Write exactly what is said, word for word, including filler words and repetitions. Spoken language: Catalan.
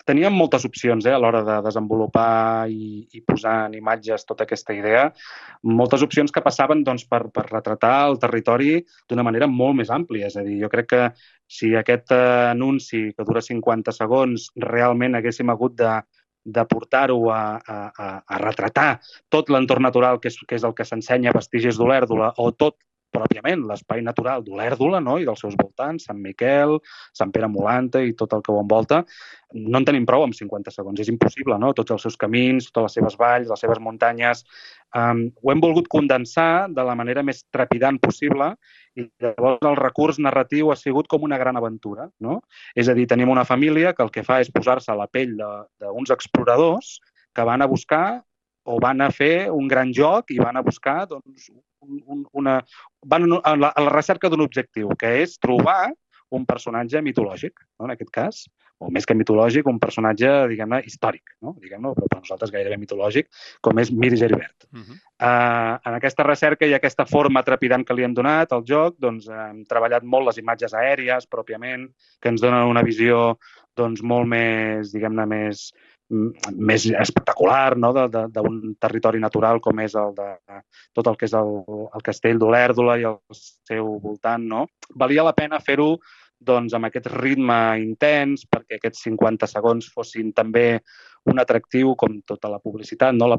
teníem moltes opcions eh, a l'hora de desenvolupar i, i posar en imatges tota aquesta idea, moltes opcions que passaven doncs, per, per retratar el territori d'una manera molt més àmplia. És a dir, jo crec que si aquest eh, anunci, que dura cinquanta segons, realment haguéssim hagut de, de portar-ho a, a, a, a retratar tot l'entorn natural, que és, que és el que s'ensenya a Vestigis d'Olèrdola, o tot pròpiament l'espai natural d'Olèrdola, no? I dels seus voltants, Sant Miquel, Sant Pere Molanta i tot el que ho envolta, no en tenim prou amb cinquanta segons. És impossible, no? Tots els seus camins, totes les seves valls, les seves muntanyes. Um, ho hem volgut condensar de la manera més trepidant possible i llavors el recurs narratiu ha sigut com una gran aventura, no? És a dir, tenim una família que el que fa és posar-se a la pell d'uns exploradors que van a buscar o van a fer un gran joc i van a buscar doncs, un, una... van a la, a la recerca d'un objectiu, que és trobar un personatge mitològic, no? En aquest cas, o més que mitològic, un personatge, diguem-ne, històric, no? Diguem-ne, però per nosaltres gairebé mitològic, com és Mir Geribert. Uh -huh. uh, en aquesta recerca i aquesta forma trepidant que li hem donat al joc, doncs, hem treballat molt les imatges aèries, pròpiament, que ens donen una visió doncs, molt més, diguem-ne, més més espectacular, no? d'un territori natural com és el de tot el que és el, el castell d'Olèrdola i el seu voltant. No? Valia la pena fer-ho doncs, amb aquest ritme intens perquè aquests cinquanta segons fossin també un atractiu com tota la publicitat. No? La,